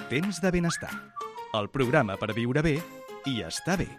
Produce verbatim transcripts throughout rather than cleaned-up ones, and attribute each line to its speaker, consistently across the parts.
Speaker 1: Temps de benestar. El programa per viure bé i estar bé.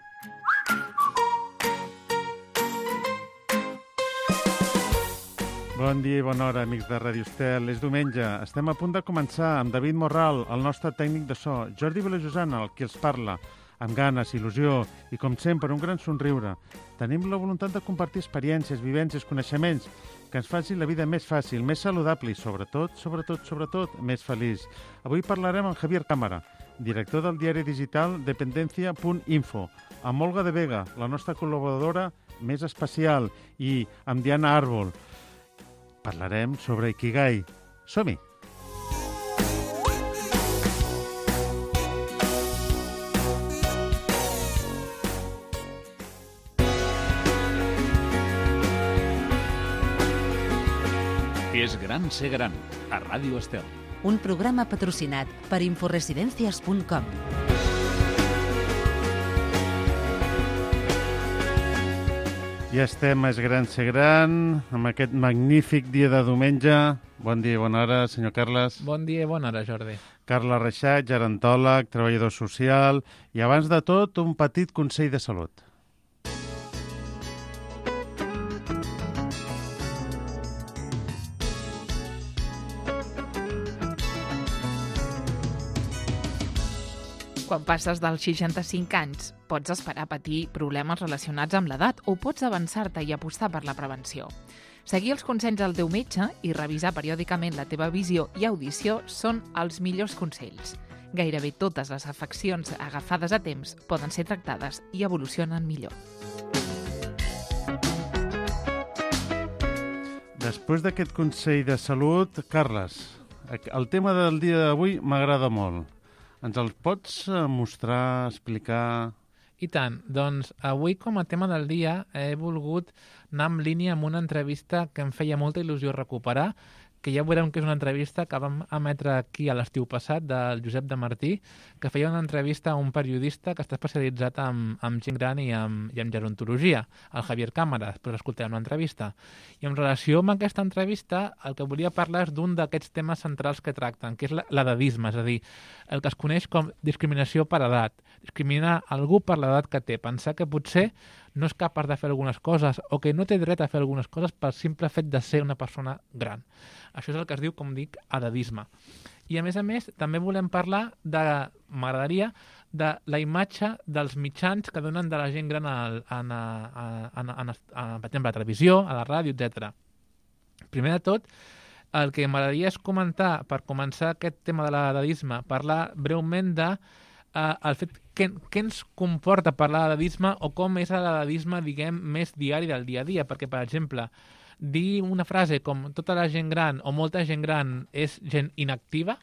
Speaker 2: Bon dia i bona hora, amics de Ràdio Estel. És diumenge. Estem a punt de començar amb David Morral, el nostre tècnic de so, Jordi Vilajosana, el qui els parla, amb ganes, il·lusió i, com sempre, un gran somriure. Tenim la voluntat de compartir experiències, vivències, coneixements que ens facin la vida més fàcil, més saludable i, sobretot, sobretot, sobretot, més feliç. Avui parlarem amb Javier Cámara, director del diari digital dependencia punt info, amb Olga de Vega, la nostra col·laboradora més especial, i amb Diana Árbol. Parlarem sobre Ikigai. Som-hi!
Speaker 3: És gran ser gran, a Ràdio Estel.
Speaker 4: Un programa patrocinat per inforesidencias punt com.
Speaker 2: Ja estem a És gran ser gran, amb aquest magnífic dia de diumenge. Bon dia i bona hora, senyor Carles.
Speaker 5: Bon dia i bona hora, Jordi.
Speaker 2: Carles Reixat, gerontòleg, treballador social i, abans de tot, un petit consell de salut.
Speaker 6: Quan passes dels seixanta-cinc anys, pots esperar patir problemes relacionats amb l'edat o pots avançar-te i apostar per la prevenció. Seguir els consells del teu metge i revisar periòdicament la teva visió i audició són els millors consells. Gairebé totes les afeccions agafades a temps poden ser tractades i evolucionen millor.
Speaker 2: Després d'aquest consell de salut, Carles, el tema del dia d'avui m'agrada molt. Ens el pots mostrar, explicar?
Speaker 5: I tant. Doncs avui, com a tema del dia, he volgut anar en línia amb una entrevista que em feia molta il·lusió recuperar, que ja veurem que és una entrevista que vam emetre aquí a l'estiu passat, del Josep de Martí, que feia una entrevista a un periodista que està especialitzat en, en gent gran i en, i en gerontologia, el Javier Cámara. Després escoltarem l'entrevista. I en relació amb aquesta entrevista, el que volia parlar és d'un d'aquests temes centrals que tracten, que és l'edadisme, és a dir, el que es coneix com discriminació per edat. Discriminar algú per l'edat que té. Pensar que potser no és capaç de fer algunes coses o que no té dret a fer algunes coses pel simple fet de ser una persona gran. Això és el que es diu, com dic, edadisme. I a més a més, també volem parlar de, m'agradaria, de la imatge dels mitjans que donen de la gent gran a, a, a, a, a, a, per exemple, a la televisió, a la ràdio, etcètera. Primer de tot, el que m'agradaria és comentar, per començar aquest tema de l'edadisme, parlar breument de Uh, el fet que, què ens comporta parlar d'edadisme o com és l'edadisme, diguem, més diari del dia a dia, perquè, per exemple, dir una frase com tota la gent gran o molta gent gran és gent inactiva,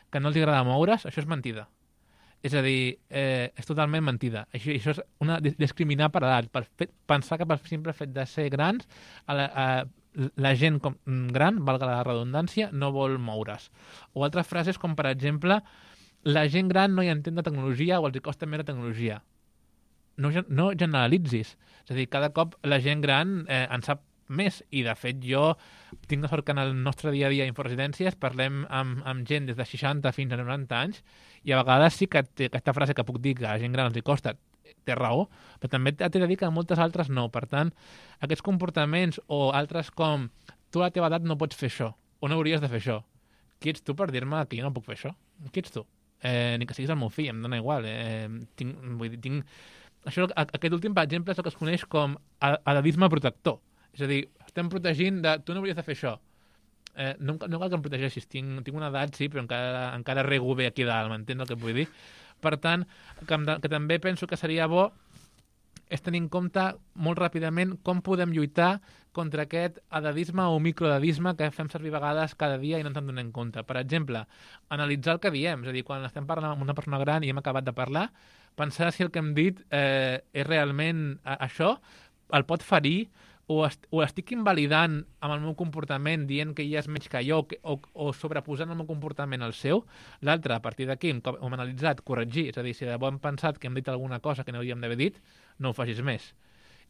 Speaker 5: que no els agrada moure's, això és mentida. És a dir, eh, és totalment mentida. Això, això és una, discriminar per edat, per fet, pensar que per simple fet de ser grans, a la, a, la gent com, gran, valga la redundància, no vol moure's. O altres frases com, per exemple, la gent gran no hi entén de tecnologia o els hi costa més la tecnologia. No, no generalitzis. És a dir, cada cop la gent gran eh, en sap més. I, de fet, jo tinc la sort que en el nostre dia a dia a Inforesidències parlem amb, amb gent des de seixanta fins a noranta anys i a vegades sí que té aquesta frase que puc dir que a la gent gran els hi costa, té raó, però també t'he de dir que a moltes altres no. Per tant, aquests comportaments o altres com tu a la teva edat no pots fer això o no hauries de fer això. Qui ets tu per dir-me que jo no puc fer això? Qui ets tu? Eh, ni que siguis el meu fill, em dona igual. Eh, tinc, vull dir, tinc... Això, aquest últim, per exemple, és el que es coneix com edadisme protector. És a dir, estem protegint de... Tu no hauries de fer això. Eh, no, no cal que em protegeixis. Tinc, tinc una edat, sí, però encara, encara rego bé aquí dalt, m'entens el que vull dir? Per tant, que, que també penso que seria bo és tenir en compte molt ràpidament com podem lluitar contra aquest edadisme o microedadisme que fem servir a vegades cada dia i no ens en donem compte. Per exemple, analitzar el que diem, és a dir, quan estem parlant amb una persona gran i hem acabat de parlar, pensar si el que hem dit eh, és realment això, el pot ferir o, est o estic invalidant amb el meu comportament dient que ella és menys que jo o, o sobreposant el meu comportament al seu. L'altre, a partir d'aquí, un cop hem analitzat, corregir, és a dir, si de bo hem pensat que hem dit alguna cosa que no hauríem d'haver dit, no ho facis més.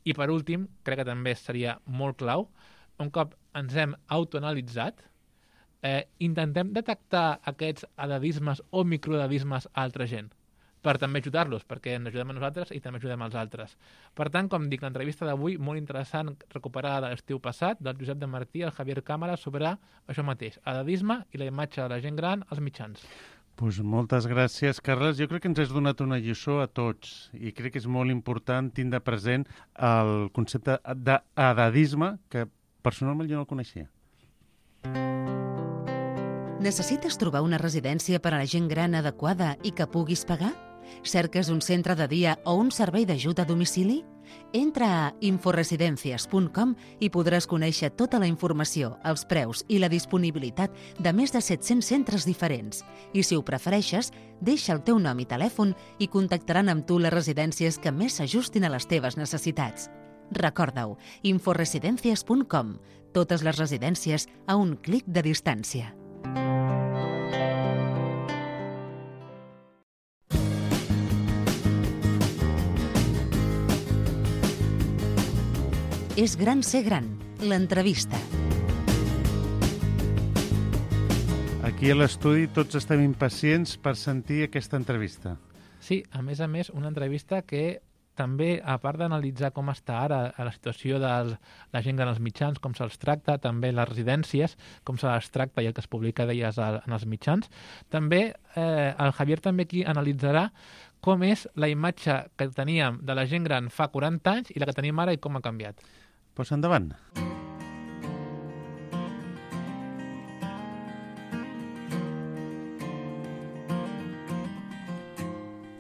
Speaker 5: I per últim, crec que també seria molt clau, un cop ens hem autoanalitzat, eh, intentem detectar aquests edadismes o microedadismes a altra gent, per també ajudar-los, perquè ens ajudem a nosaltres i també ajudem als altres. Per tant, com dic, l'entrevista d'avui, molt interessant, recuperada de l'estiu passat, del Josep de Martí al Javier Cámara, sobre això mateix, edadisme i la imatge de la gent gran als mitjans.
Speaker 2: Pues moltes gràcies, Carles. Jo crec que ens has donat una lliçó a tots i crec que és molt important tindre present el concepte d'edadisme, que personalment jo no el coneixia.
Speaker 4: Necessites trobar una residència per a la gent gran adequada i que puguis pagar? Cerques un centre de dia o un servei d'ajut a domicili? Entra a inforesidencias punt com i podràs conèixer tota la informació, els preus i la disponibilitat de més de set-cents centres diferents. I si ho prefereixes, deixa el teu nom i telèfon i contactaran amb tu les residències que més s'ajustin a les teves necessitats. Recorda-ho, inforesidencias punt com. Totes les residències a un clic de distància. És gran ser gran, l'entrevista.
Speaker 2: Aquí a l'estudi tots estem impacients per sentir aquesta entrevista.
Speaker 5: Sí, a més a més, una entrevista que també, a part d'analitzar com està ara la situació de la gent gran als mitjans, com se'ls tracta, també les residències, com se les tracta i el que es publica d'elles en els mitjans, també eh, el Javier també aquí analitzarà com és la imatge que teníem de la gent gran fa quaranta anys i la que tenim ara i com ha canviat.
Speaker 2: Pues endavant.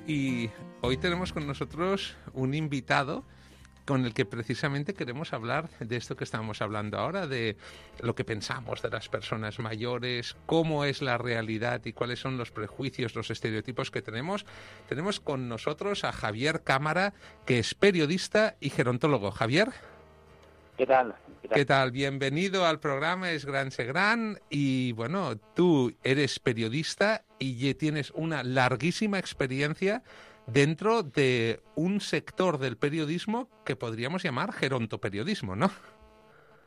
Speaker 7: Y hoy tenemos con nosotros un invitado con el que precisamente queremos hablar de esto que estamos hablando ahora, de lo que pensamos de las personas mayores, cómo es la realidad y cuáles son los prejuicios, los estereotipos que tenemos. Tenemos con nosotros a Javier Cámara, que es periodista y gerontólogo. Javier.
Speaker 8: ¿Qué tal? ¿Qué tal?
Speaker 7: ¿Qué tal? Bienvenido al programa Es Gran Se Gran. Y bueno, tú eres periodista y tienes una larguísima experiencia dentro de un sector del periodismo que podríamos llamar gerontoperiodismo, ¿no?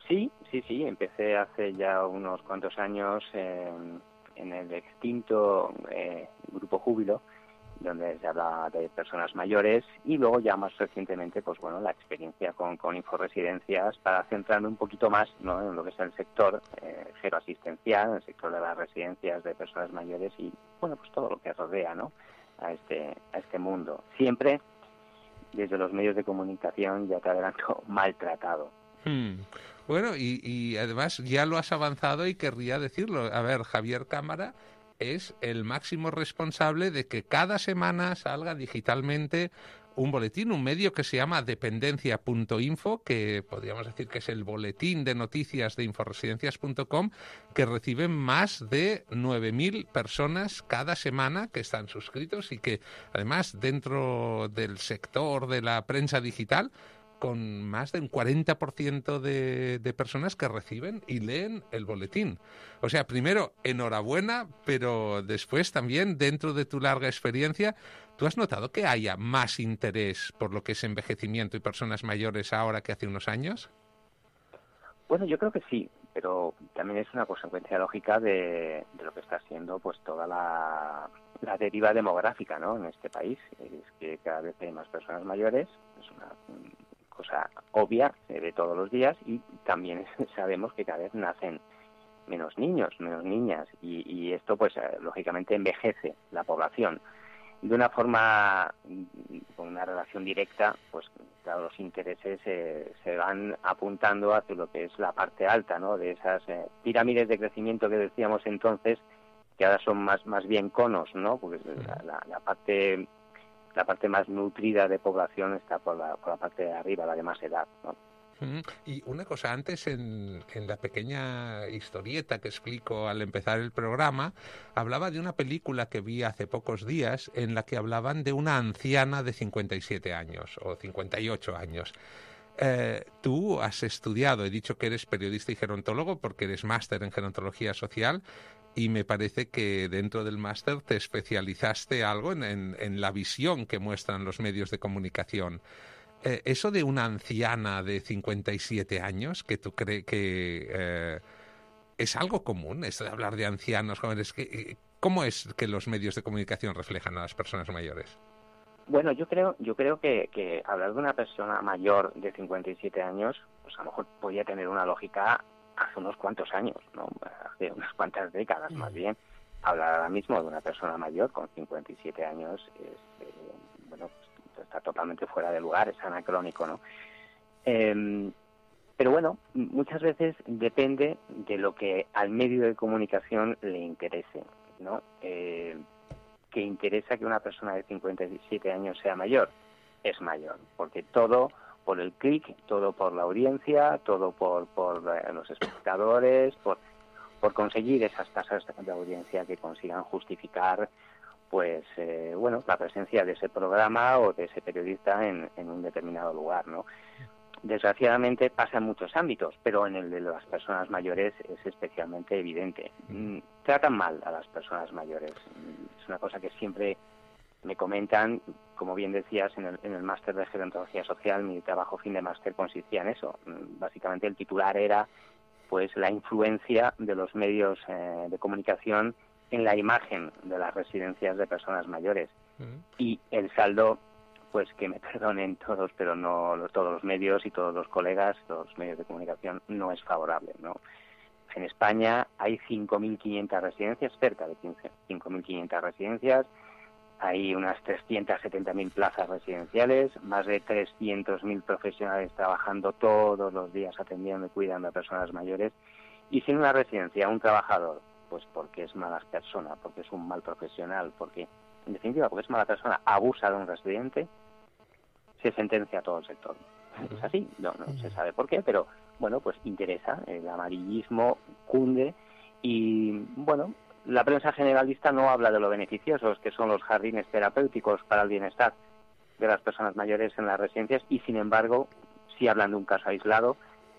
Speaker 8: Sí, sí, sí. Empecé hace ya unos cuantos años en, en el extinto eh, Grupo Júbilo, donde se habla de personas mayores, y luego ya más recientemente, pues bueno, la experiencia con, con Inforesidencias, para centrarme un poquito más, ¿no?, en lo que es el sector eh, geroasistencial, el sector de las residencias de personas mayores y, bueno, pues todo lo que rodea, ¿no?, a este, a este mundo. Siempre desde los medios de comunicación, ya te adelanto, maltratado.
Speaker 7: Hmm. Bueno, y, y además ya lo has avanzado y querría decirlo. A ver, Javier Cámara es el máximo responsable de que cada semana salga digitalmente un boletín, un medio que se llama dependencia punto info, que podríamos decir que es el boletín de noticias de inforesidencias punto com, que reciben más de nueve mil personas cada semana que están suscritos y que además dentro del sector de la prensa digital, con más de un cuarenta por ciento de, de personas que reciben y leen el boletín. O sea, primero, enhorabuena, pero después también, dentro de tu larga experiencia, ¿tú has notado que haya más interés por lo que es envejecimiento y personas mayores ahora que hace unos años?
Speaker 8: Bueno, yo creo que sí, pero también es una consecuencia lógica de, de lo que está siendo pues toda la, la deriva demográfica, ¿no?, en este país. Es que cada vez hay más personas mayores, es una cosa obvia, se ve todos los días, y también sabemos que cada vez nacen menos niños, menos niñas, y, y esto pues lógicamente envejece la población. De una forma, con una relación directa, pues claro, los intereses eh, se van apuntando hacia lo que es la parte alta, ¿no?, de esas eh, pirámides de crecimiento que decíamos entonces, que ahora son más más bien conos, ¿no?, porque la, la, la parte la parte más nutrida de población está por la, por la parte de arriba, la de más edad, ¿no?
Speaker 7: Y una cosa, antes en, en la pequeña historieta que explico al empezar el programa, hablaba de una película que vi hace pocos días en la que hablaban de una anciana de cincuenta y siete años o cincuenta y ocho años. Eh, tú has estudiado, he dicho que eres periodista y gerontólogo porque eres máster en gerontología social, y me parece que dentro del máster te especializaste algo en, en, en la visión que muestran los medios de comunicación. Eh, eso de una anciana de cincuenta y siete años, que tú crees que, eh, ¿Es algo común esto de hablar de ancianos, jóvenes? ¿Cómo es que los medios de comunicación reflejan a las personas mayores?
Speaker 8: Bueno, yo creo yo creo que, que hablar de una persona mayor de cincuenta y siete años, pues a lo mejor podía tener una lógica hace unos cuantos años, ¿no? Hace unas cuantas décadas más bien. Hablar ahora mismo de una persona mayor con cincuenta y siete años es, eh, bueno, pues, está totalmente fuera de lugar, es anacrónico, ¿no? Eh, pero bueno, muchas veces depende de lo que al medio de comunicación le interese, ¿no? Eh, que interesa que una persona de cincuenta y siete años sea mayor, es mayor, porque todo por el clic, todo por la audiencia, todo por, por eh, los espectadores, por, por conseguir esas tasas de audiencia que consigan justificar pues eh, bueno, la presencia de ese programa o de ese periodista en, en un determinado lugar, ¿no? Desgraciadamente pasa en muchos ámbitos, pero en el de las personas mayores es especialmente evidente. Mm, tratan mal a las personas mayores. Es una cosa que siempre me comentan, como bien decías, en el, en el máster de gerontología social, mi trabajo fin de máster consistía en eso. Básicamente el titular era pues la influencia de los medios eh, de comunicación en la imagen de las residencias de personas mayores. Uh-huh. Y el saldo, pues que me perdonen todos, pero no los, todos los medios y todos los colegas, todos los medios de comunicación, no es favorable, ¿no? En España hay cinco mil quinientas residencias, cerca de cinco mil quinientas residencias, hay unas trescientas setenta mil plazas residenciales, más de trescientos mil profesionales trabajando todos los días atendiendo y cuidando a personas mayores, y sin una residencia, un trabajador, pues porque es mala persona, porque es un mal profesional, porque en definitiva, porque es mala persona, abusa de un residente, se sentencia a todo el sector. Es así, no, no se sabe por qué, pero bueno, pues interesa, el amarillismo cunde y bueno, la prensa generalista no habla de lo beneficiosos que son los jardines terapéuticos para el bienestar de las personas mayores en las residencias y sin embargo sí hablan de un caso aislado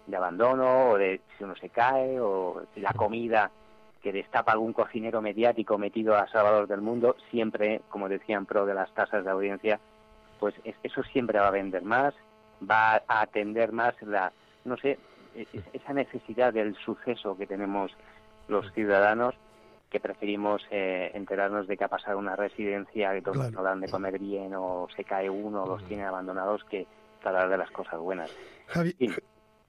Speaker 8: de abandono o de si uno se cae o si la comida que destapa algún cocinero mediático metido a Salvador del Mundo, siempre, como decía, en pro de las tasas de audiencia, pues eso siempre va a vender más, va a atender más la, no sé, esa necesidad del suceso que tenemos los ciudadanos, que preferimos eh, enterarnos de que ha pasado una residencia, que todos claro. no dan de comer bien, o se cae uno, o los tiene abandonados, que hablar de las cosas buenas.
Speaker 9: Javi,
Speaker 8: sí.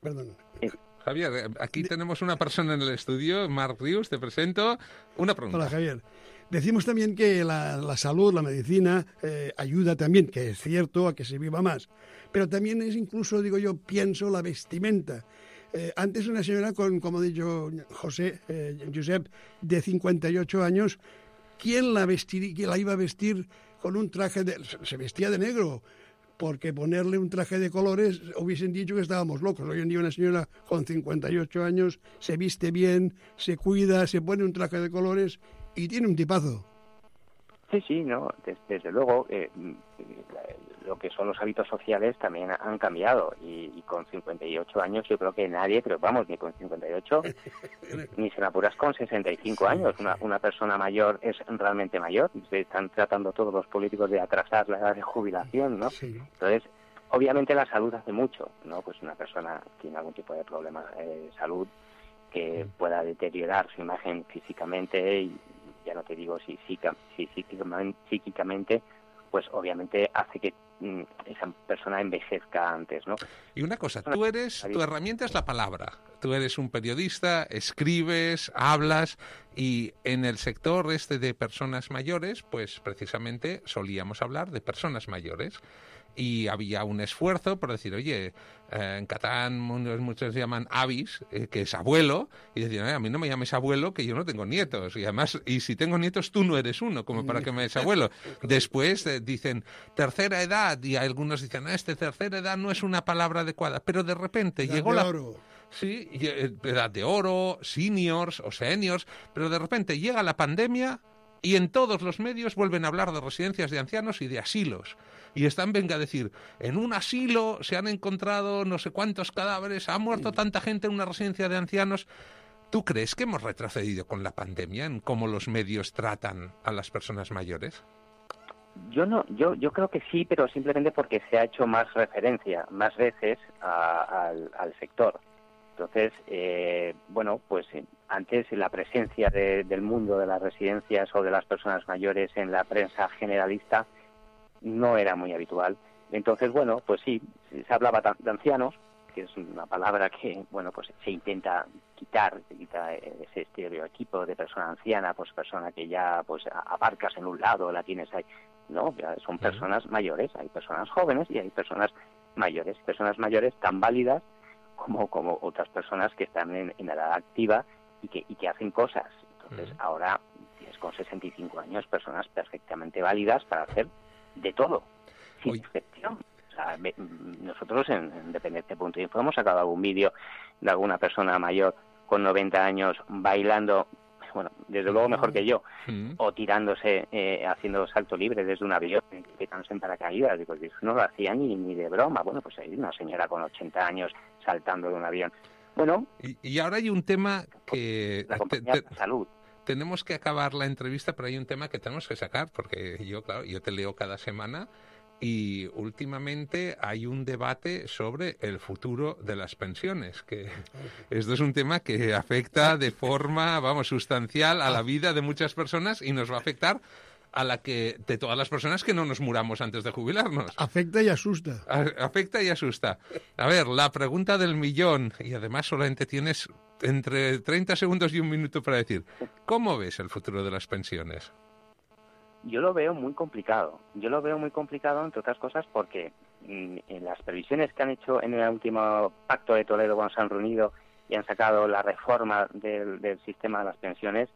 Speaker 9: perdón.
Speaker 8: Sí.
Speaker 7: Javier, aquí tenemos una persona en el estudio, Marc Rius, te presento. Una pregunta.
Speaker 9: Hola, Javier. Decimos también que la, la salud, la medicina, eh, ayuda también, que es cierto, a que se viva más. Pero también es incluso, digo yo, pienso la vestimenta. Eh, antes una señora con, como ha dicho José, eh, Josep, de cincuenta y ocho años, ¿quién la, vestir, quién la iba a vestir con un traje de... Se vestía de negro, porque ponerle un traje de colores hubiesen dicho que estábamos locos. Hoy en día una señora con cincuenta y ocho años se viste bien, se cuida, se pone un traje de colores y tiene un tipazo.
Speaker 8: Sí, sí, no, desde, desde luego eh, lo que son los hábitos sociales también han cambiado y, y con cincuenta y ocho años yo creo que nadie, pero vamos, ni con cincuenta y ocho, ni se me apuras con sesenta y cinco años. Una, una persona mayor es realmente mayor, se están tratando todos los políticos de atrasar la edad de jubilación, ¿no? Sí. Entonces, obviamente la salud hace mucho, ¿no? Pues una persona tiene algún tipo de problema de salud que pueda deteriorar su imagen físicamente y ya no te digo si, si, si psíquicamente, pues obviamente hace que mm, esa persona envejezca antes, ¿no?
Speaker 7: Y una cosa, tú eres, tu herramienta es la palabra. Tú eres un periodista, escribes, hablas, y en el sector este de personas mayores, pues precisamente solíamos hablar de personas mayores. Y había un esfuerzo por decir, oye, eh, en catalán muchos llaman avis, eh, que es abuelo, y decían, eh, a mí no me llames abuelo, que yo no tengo nietos, y además, y si tengo nietos, tú no eres uno, como para que me llames abuelo. Después eh, dicen tercera edad, y algunos dicen, ah, este tercera edad no es una palabra adecuada, pero de repente
Speaker 9: edad
Speaker 7: llegó
Speaker 9: de
Speaker 7: la...
Speaker 9: oro.
Speaker 7: Sí, edad de oro, seniors o seniors, pero de repente llega la pandemia y en todos los medios vuelven a hablar de residencias de ancianos y de asilos. Y están, venga a decir, en un asilo se han encontrado no sé cuántos cadáveres, ha muerto tanta gente en una residencia de ancianos. ¿Tú crees que hemos retrocedido con la pandemia en cómo los medios tratan a las personas mayores?
Speaker 8: Yo no, yo yo creo que sí, pero simplemente porque se ha hecho más referencia, más veces a, a, al, al sector. Entonces, eh, bueno, pues antes la presencia de, del mundo de las residencias o de las personas mayores en la prensa generalista no era muy habitual. Entonces, bueno, pues sí, se hablaba de ancianos, que es una palabra que, bueno, pues se intenta quitar, se quita ese estereotipo de persona anciana, pues persona que ya pues aparcas en un lado, la tienes ahí. No, ya son personas mayores, hay personas jóvenes y hay personas mayores, personas mayores tan válidas como como otras personas que están en, en edad activa y que y que hacen cosas. Entonces, uh-huh. ahora tienes con sesenta y cinco años personas perfectamente válidas para hacer de todo, sin Uy. excepción. O sea, me, nosotros en, en Dependiente punto info hemos sacado algún vídeo de alguna persona mayor con noventa años bailando, bueno, desde luego mejor que yo, uh-huh. o tirándose, eh, haciendo salto libre desde un avión, quitándose en paracaídas. Digo, eso no lo hacía ni, ni de broma. Bueno, pues hay una señora con ochenta años saltando de un avión. Bueno.
Speaker 7: Y, y ahora hay un tema que...
Speaker 8: La compañía te, te, de salud.
Speaker 7: Tenemos que acabar la entrevista, pero hay un tema que tenemos que sacar, porque yo, claro, yo te leo cada semana y últimamente hay un debate sobre el futuro de las pensiones, que esto es un tema que afecta de forma, vamos, sustancial a la vida de muchas personas y nos va a afectar a la que de todas las personas que no nos muramos antes de jubilarnos.
Speaker 9: Afecta y asusta.
Speaker 7: A, afecta y asusta. A ver, la pregunta del millón, y además solamente tienes entre treinta segundos y un minuto para decir, ¿cómo ves el futuro de las pensiones?
Speaker 8: Yo lo veo muy complicado. Yo lo veo muy complicado, entre otras cosas, porque mmm, en las previsiones que han hecho en el último Pacto de Toledo cuando se han reunido y han sacado la reforma del, del sistema de las pensiones,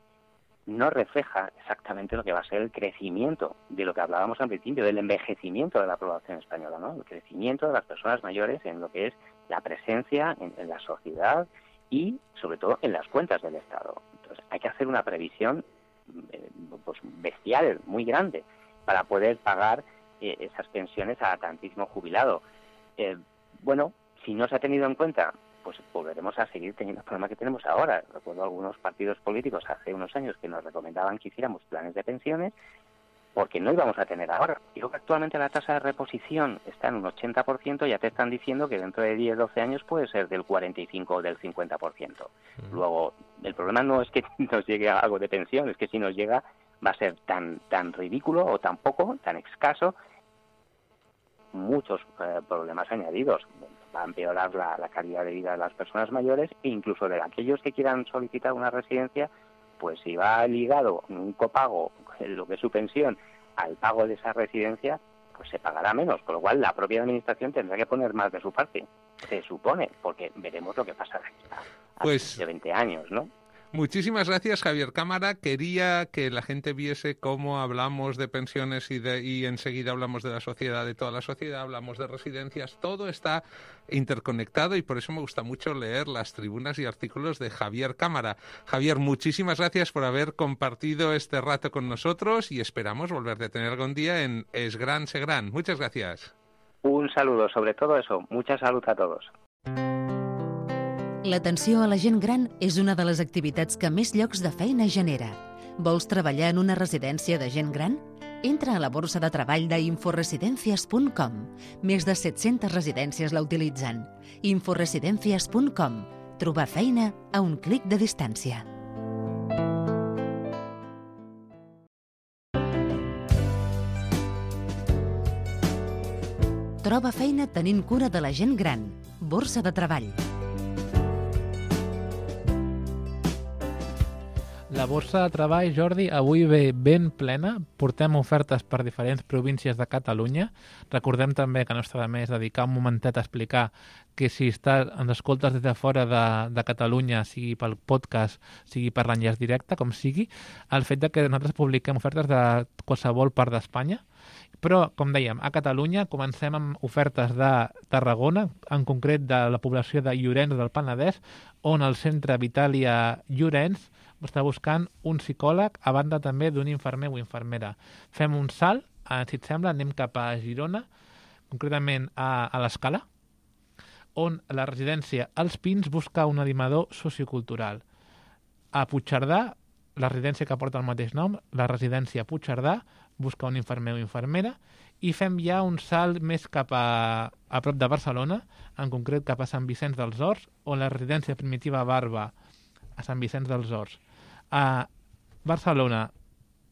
Speaker 8: no refleja exactamente lo que va a ser el crecimiento de lo que hablábamos al principio, del envejecimiento de la población española, ¿no? El crecimiento de las personas mayores en lo que es la presencia en, en la sociedad y, sobre todo, en las cuentas del Estado. Entonces, hay que hacer una previsión eh, pues, bestial, muy grande, para poder pagar eh, esas pensiones a tantísimo jubilado. Eh, bueno, si no se ha tenido en cuenta, pues volveremos a seguir teniendo el problema que tenemos ahora. Recuerdo algunos partidos políticos hace unos años que nos recomendaban que hiciéramos planes de pensiones porque no íbamos a tener ahora. Digo que actualmente la tasa de reposición está en un ochenta por ciento, ya te están diciendo que dentro de diez, doce años puede ser del cuarenta y cinco o del cincuenta por ciento. Uh-huh. Luego, el problema no es que nos llegue algo de pensión, es que si nos llega va a ser tan tan ridículo o tan poco, tan escaso, muchos eh, problemas añadidos. Va a empeorar la, la calidad de vida de las personas mayores e incluso de aquellos que quieran solicitar una residencia, pues si va ligado un copago, lo que es su pensión, al pago de esa residencia, pues se pagará menos, con lo cual la propia administración tendrá que poner más de su parte, se supone, porque veremos lo que pasa de aquí a,
Speaker 7: pues...
Speaker 8: de veinte años, ¿no?
Speaker 7: Muchísimas gracias, Javier Cámara. Quería que la gente viese cómo hablamos de pensiones y, de, y enseguida hablamos de la sociedad, de toda la sociedad, hablamos de residencias. Todo está interconectado y por eso me gusta mucho leer las tribunas y artículos de Javier Cámara. Javier, muchísimas gracias por haber compartido este rato con nosotros y esperamos volverte a tener algún día en Es Gran, Se Gran. Muchas gracias.
Speaker 8: Un saludo, sobre todo eso. Mucha salud a todos.
Speaker 4: L'atenció a la gent gran és una de les activitats que més llocs de feina genera. Vols treballar en una residència de gent gran? Entra a la borsa de treball d'inforesidencias punt com. Més de set-centes residències la utilitzen. inforesidencias punt com. Trobar feina a un clic de distància. Troba feina tenint cura de la gent gran. Borsa de treball.
Speaker 5: La borsa de treball, Jordi, avui ve ben plena. Portem ofertes per diferents províncies de Catalunya. Recordem també que no està de més dedicar un momentet a explicar que si estàs, ens escoltes des de fora de, de Catalunya, sigui pel podcast, sigui per l'enllaç directe, com sigui, el fet de que nosaltres publiquem ofertes de qualsevol part d'Espanya. Però, com dèiem, a Catalunya comencem amb ofertes de Tarragona, en concret de la població de Llorenç del Penedès, on el centre Vitàlia Llorenç està buscant un psicòleg, a banda també d'un infermer o infermera. Fem un salt, si et sembla, anem cap a Girona, concretament a, a l'Escala, on la residència Els Pins busca un animador sociocultural. A Puigcerdà, la residència que porta el mateix nom, la residència Puigcerdà, busca un infermer o infermera, i fem ja un salt més cap a, a prop de Barcelona, en concret cap a Sant Vicenç dels Horts, on la residència primitiva Barba a Sant Vicenç dels Horts. A Barcelona,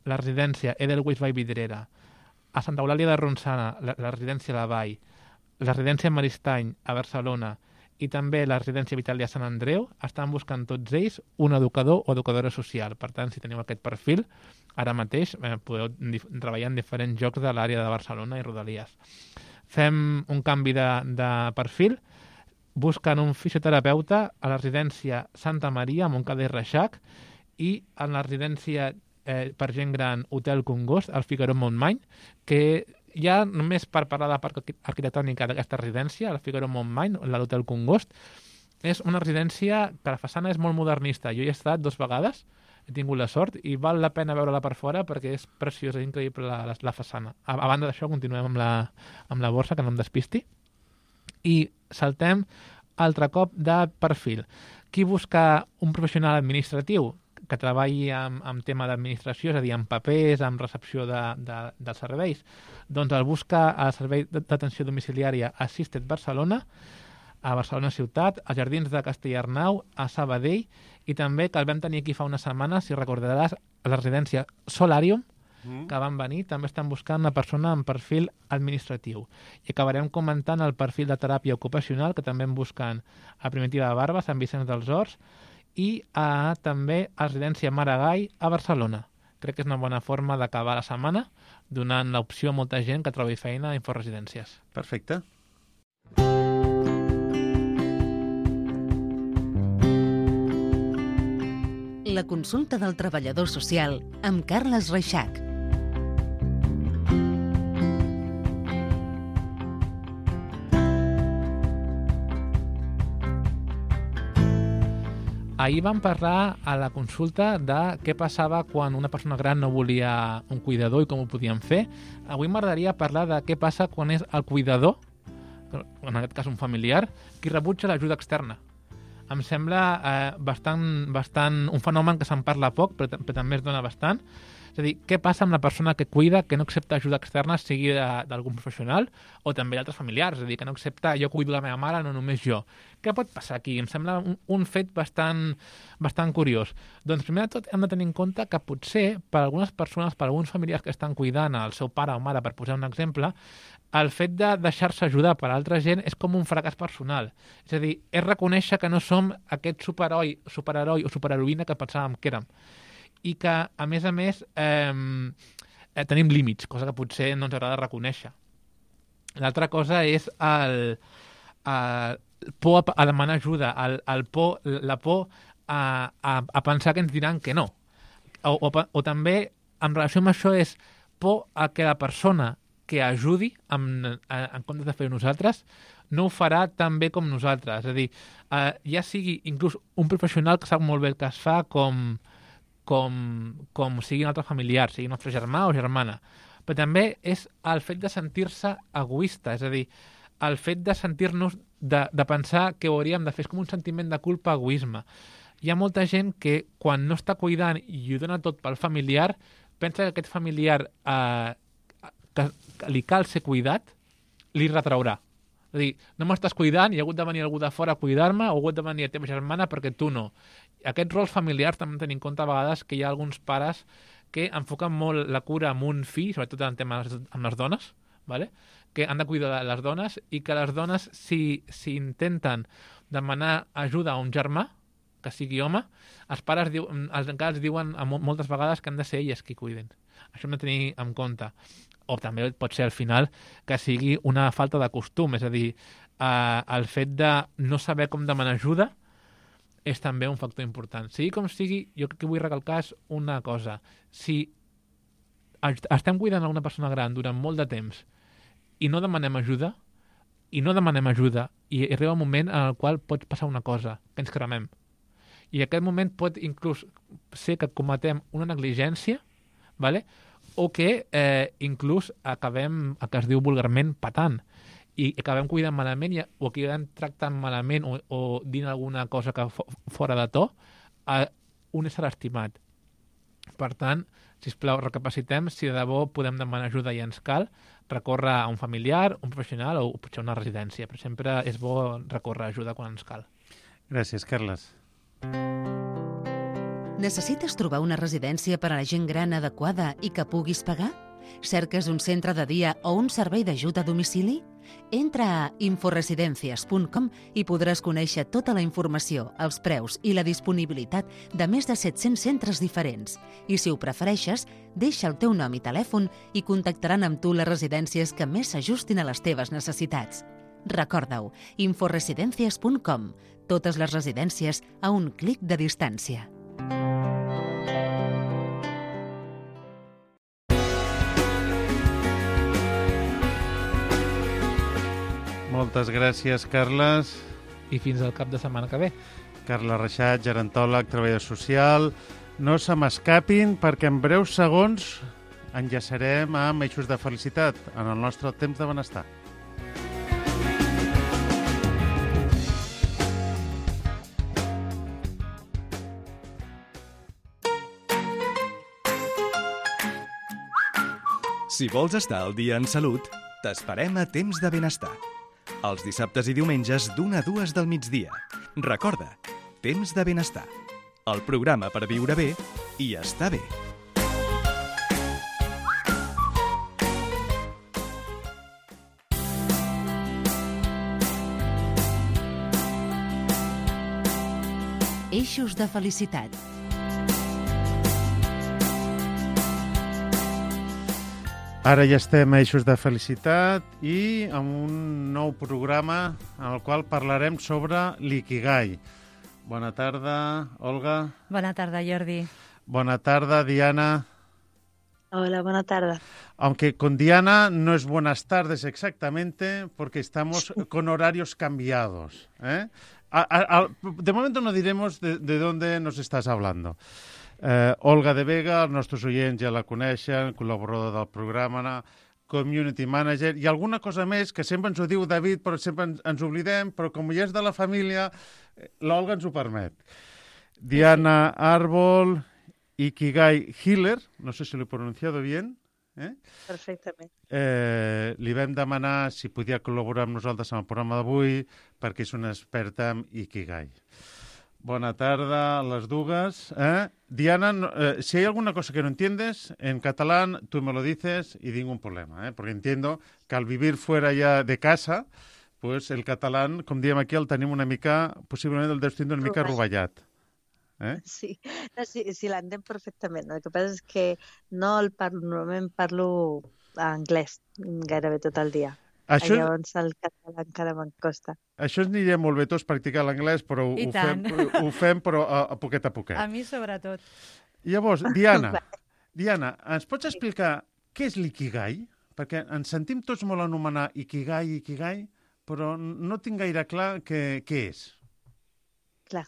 Speaker 5: la residència Edelweiss Vall Vidrera. A Santa Eulàlia de Ronçana, la, la residència La Vall. La residència Maristany, a Barcelona, i també la residència Vitàlia Sant Andreu, estan buscant tots ells un educador o educadora social. Per tant, si teniu aquest perfil, ara mateix eh, podeu treballar en diferents llocs de l'àrea de Barcelona i Rodalies. Fem un canvi de, de perfil, busquen un fisioterapeuta a la residència Santa Maria, a Montcada i Reixac, i en la residència eh, per gent gran Hotel Congost, al Figaró-Montmany, que ja només per parlar de la part arquitectònica d'aquesta residència, el Figaró-Montmany, l'Hotel Congost, és una residència que la façana és molt modernista. Jo hi he estat dues vegades, he tingut la sort, i val la pena veure-la per fora perquè és preciosa, és increïble la, la, la façana. A, a banda d'això, continuem amb la, amb la borsa, que no em despisti. I saltem altre cop de perfil. Qui busca un professional administratiu que treballi amb, amb tema d'administració, és a dir, amb papers, amb recepció de, de, dels serveis, doncs el busca al Servei d'Atenció Domiciliària Assisted Barcelona, a Barcelona Ciutat, als Jardins de Castellarnau, a Sabadell, i també que el vam tenir aquí fa una setmana, si recordaràs, a la residència Solarium, mm. que van venir, també estan buscant una persona amb perfil administratiu. I acabarem comentant el perfil de teràpia ocupacional, que també en busquen a Primitiva de Barba, Sant Vicenç dels Horts, i a, també a residència Maragall a Barcelona. Crec que és una bona forma d'acabar la setmana, donant l'opció a molta gent que trobi feina a Inforesidències.
Speaker 2: Perfecte.
Speaker 4: La consulta del treballador social amb Carles Reixac.
Speaker 5: Ahir vam parlar a la consulta de què passava quan una persona gran no volia un cuidador i com ho podien fer. Avui m'agradaria parlar de què passa quan és el cuidador, en aquest cas un familiar, qui rebutja l'ajuda externa. Em sembla eh, bastant, bastant un fenomen que se'n parla poc, però, però també es dona bastant. És a dir, què passa amb la persona que cuida, que no accepta ajuda externa, sigui d'algun professional o també d'altres familiars? És a dir, que no accepta jo cuido la meva mare, no només jo. Què pot passar aquí? Em sembla un, un fet bastant, bastant curiós. Doncs primer de tot hem de tenir en compte que potser per algunes persones, per alguns familiars que estan cuidant el seu pare o mare, per posar un exemple, el fet de deixar-se ajudar per altra gent és com un fracàs personal. És a dir, és reconèixer que no som aquest superheroi, superheroi o superheroïna que pensàvem que érem. I que, a més a més, eh, eh, tenim límits, cosa que potser no ens agrada reconèixer. L'altra cosa és el, el por a, a demanar ajuda, el, el por, la por a, a, a pensar que ens diran que no. O, o, o també, en relació amb això, és por a que la persona que ajudi, en, en comptes de fer nosaltres, no ho farà tan bé com nosaltres. És a dir, eh, ja sigui inclús un professional que sap molt bé el que es fa, com... Com, com sigui un altre familiar, sigui nostre germà o germana. Però també és el fet de sentir-se egoista, és a dir, el fet de sentir-nos, de, de pensar que ho hauríem de fer, és com un sentiment de culpa, egoisme. Hi ha molta gent que quan no està cuidant i ho dona tot pel familiar, pensa que aquest familiar eh, que, que li cal ser cuidat, li retraurà. És a dir, no m'estàs cuidant i ha hagut de venir algú de fora a cuidar-me o ha hagut de venir la teva germana perquè tu no. Aquests rols familiars també tenim en compte a vegades que hi ha alguns pares que enfoquen molt la cura amb un fill, sobretot en temes amb les dones, ¿vale? Que han de cuidar de les dones i que les dones, si, si intenten demanar ajuda a un germà, que sigui home, els pares diu, els encara els diuen moltes vegades que han de ser elles qui cuiden. Això hem de tenir en compte. O també pot ser al final que sigui una falta de costum, és a dir, eh, el fet de no saber com demanar ajuda és també un factor important. Sigui com sigui, jo que vull recalcar és una cosa. Si estem cuidant a una persona gran durant molt de temps i no demanem ajuda, i no demanem ajuda, i arriba un moment en el qual pot passar una cosa, que ens cremem. I aquest moment pot inclús ser que cometem una negligència, ¿vale? O que eh, inclús acabem, el que es diu vulgarment, patant. I acabem cuidant malament i, o acabem tractant malament o, o dint alguna cosa que fo, fora de to a un ésser estimat. Per tant, sisplau, recapacitem si de debò podem demanar ajuda i ens cal recórrer a un familiar, un professional o potser una residència, però sempre és bo recórrer a ajuda quan ens cal.
Speaker 2: Gràcies, Carles.
Speaker 4: Necessites trobar una residència per a la gent gran adequada i que puguis pagar? Cerques un centre de dia o un servei d'ajut a domicili? Entra a inforesidencias punt com i podràs conèixer tota la informació, els preus i la disponibilitat de més de set-cents centres diferents. I si ho prefereixes, deixa el teu nom i telèfon i contactaran amb tu les residències que més s'ajustin a les teves necessitats. Recorda-ho, inforesidencias punt com. Totes les residències a un clic de distància.
Speaker 2: Moltes gràcies, Carles.
Speaker 5: I fins al cap de setmana que ve.
Speaker 2: Carles Reixat, gerontòleg, treballador social. No se m'escapin perquè en breus segons enllaçarem amb Eixos de Felicitat en el nostre temps de benestar.
Speaker 1: Si vols estar al dia en salut, t'esperem a Temps de Benestar. Els dissabtes i diumenges d'una a dues del migdia. Recorda, Temps de Benestar. El programa per viure bé i estar bé.
Speaker 4: Eixos de Felicitat.
Speaker 2: Ara ja estem a Eixos de Felicitat i amb un nou programa en el qual parlarem sobre l'ikigai. Bona tarda, Olga.
Speaker 10: Bona tarda, Jordi.
Speaker 2: Bona tarda, Diana.
Speaker 10: Hola, buena tarde.
Speaker 2: Aunque con Diana no es buenas tardes exactamente porque estamos con horarios cambiados. ¿eh? A, a, a, de momento no diremos de, de dónde nos estás hablando. Eh, Olga de Vega, els nostres oients ja la coneixen, col·laboradora del programa, community manager, i alguna cosa més que sempre ens ho diu David, però sempre ens, ens oblidem, però com ja és de la família, l'Olga ens ho permet. Diana Árbol, Ikigai Healer, no sé si l'he pronunciado bien. Eh?
Speaker 10: Perfectament.
Speaker 2: Eh, li vam demanar si podia col·laborar amb nosaltres en el programa d'avui perquè és una experta en Ikigai. Bona tarda a les dues. ¿eh? Diana, eh, si hay alguna cosa que no entiendes, en catalán tú me lo dices y ningún problema, ¿eh? porque entiendo que al vivir fuera ya de casa, pues el catalán, com diem aquí, el tenim una mica, possiblement el deus tindre una mica rovellat. Eh?
Speaker 10: Sí, no, sí, sí l'entenc perfectament. El que passa és que no el parlo, normalment parlo anglès gairebé tot el dia. Això... Llavors el català encara me'n costa.
Speaker 2: Això ens aniria molt bé tots practicar l'anglès, però ho fem, ho fem però a, a poquet a poquet.
Speaker 10: A mi sobretot.
Speaker 2: Llavors, Diana, Diana, ens pots explicar què és l'ikigai? Perquè ens sentim tots molt anomenar ikigai, ikigai, però no tinc gaire clar què, què és.
Speaker 10: Clar.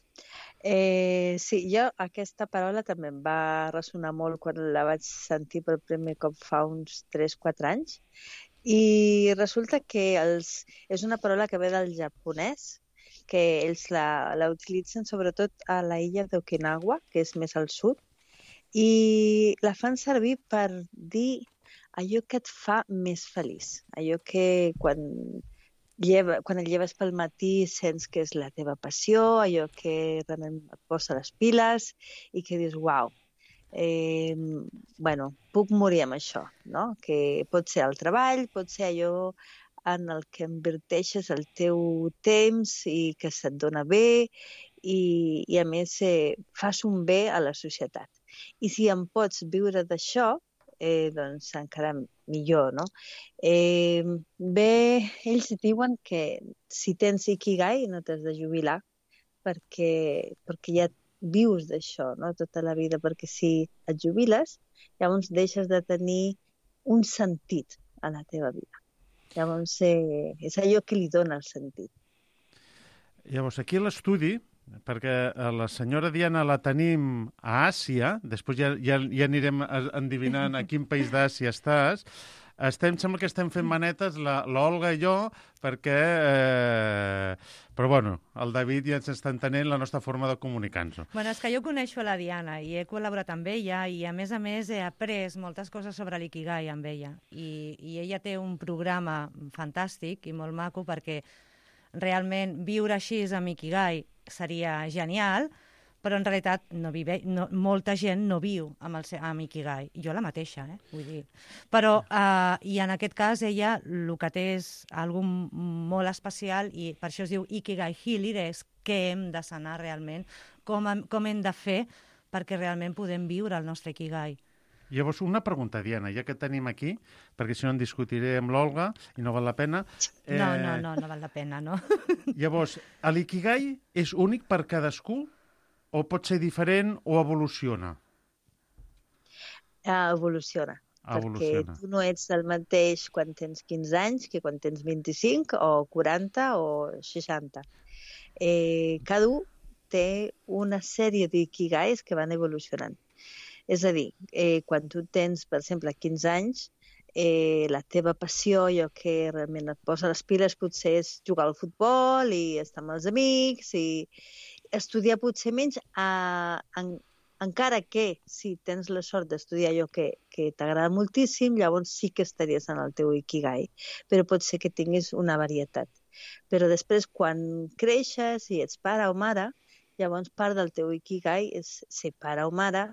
Speaker 10: Eh, sí, jo aquesta paraula també em va ressonar molt quan la vaig sentir per primer cop fa uns tres quatre anys. I resulta que els, és una paraula que ve del japonès, que ells la, la utilitzen sobretot a la illa d'Okinawa, que és més al sud, i la fan servir per dir allò que et fa més feliç, allò que quan, lleva, quan et lleves pel matí sents que és la teva passió, allò que realment et posa les piles i que dius, uau, Eh, bueno, puc morir amb això, no? Que pot ser el treball, pot ser allò en el que inverteixes el teu temps i que se't dona bé i, i a més eh, fas un bé a la societat. I si en pots viure d'això, eh, doncs encara millor, no? Eh, bé, ells diuen que si tens ikigai no t'has de jubilar perquè, perquè ja vius d'això, no? Tota la vida, perquè si et jubiles, llavors deixes de tenir un sentit a la teva vida. Llavors, eh, és allò que li dona el sentit.
Speaker 2: Llavors, aquí a l'estudi, perquè la senyora Diana la tenim a Àsia, després ja, ja, ja anirem endivinant a quin país d'Àsia estàs, estem, sembla que estem fent manetes, la, la Olga i jo, perquè... Eh, però, bueno, el David ja ens està entenent la nostra forma de comunicar-nos.
Speaker 11: Bueno, és que jo coneixo la Diana i he col·laborat amb ella i, a més a més, he après moltes coses sobre l'ikigai amb ella. I, i ella té un programa fantàstic i molt maco perquè realment viure així amb ikigai seria genial, però en realitat no vive, no, molta gent no viu amb, el, amb ikigai. Jo la mateixa, eh? Vull dir. Però, uh, i en aquest cas, ella el que té és algo molt especial i per això es diu ikigai healer, és què hem de sanar realment, com, com hem de fer perquè realment podem viure el nostre ikigai.
Speaker 2: Llavors, una pregunta, Diana, ja que tenim aquí, perquè si no en discutiré amb l'Olga i no val la pena...
Speaker 11: Eh... No, no, no, no val la pena, no.
Speaker 2: Llavors, l'ikigai és únic per cadascú o pot ser diferent o evoluciona?
Speaker 10: Uh, evoluciona.
Speaker 2: Evoluciona.
Speaker 10: Perquè tu no ets el mateix quan tens quinze anys que quan tens vint-i-cinc o quaranta o seixanta. Eh, cada un té una sèrie d'ikigais que van evolucionant. És a dir, eh, quan tu tens, per exemple, quinze anys, eh, la teva passió, allò que realment et posa les piles, potser és jugar al futbol i estar amb els amics i estudiar potser menys, a, en, encara que si tens la sort d'estudiar allò que, que t'agrada moltíssim, llavors sí que estaries en el teu ikigai, però pot ser que tinguis una varietat. Però després, quan creixes i ets pare o mare, llavors part del teu ikigai és ser pare o mare,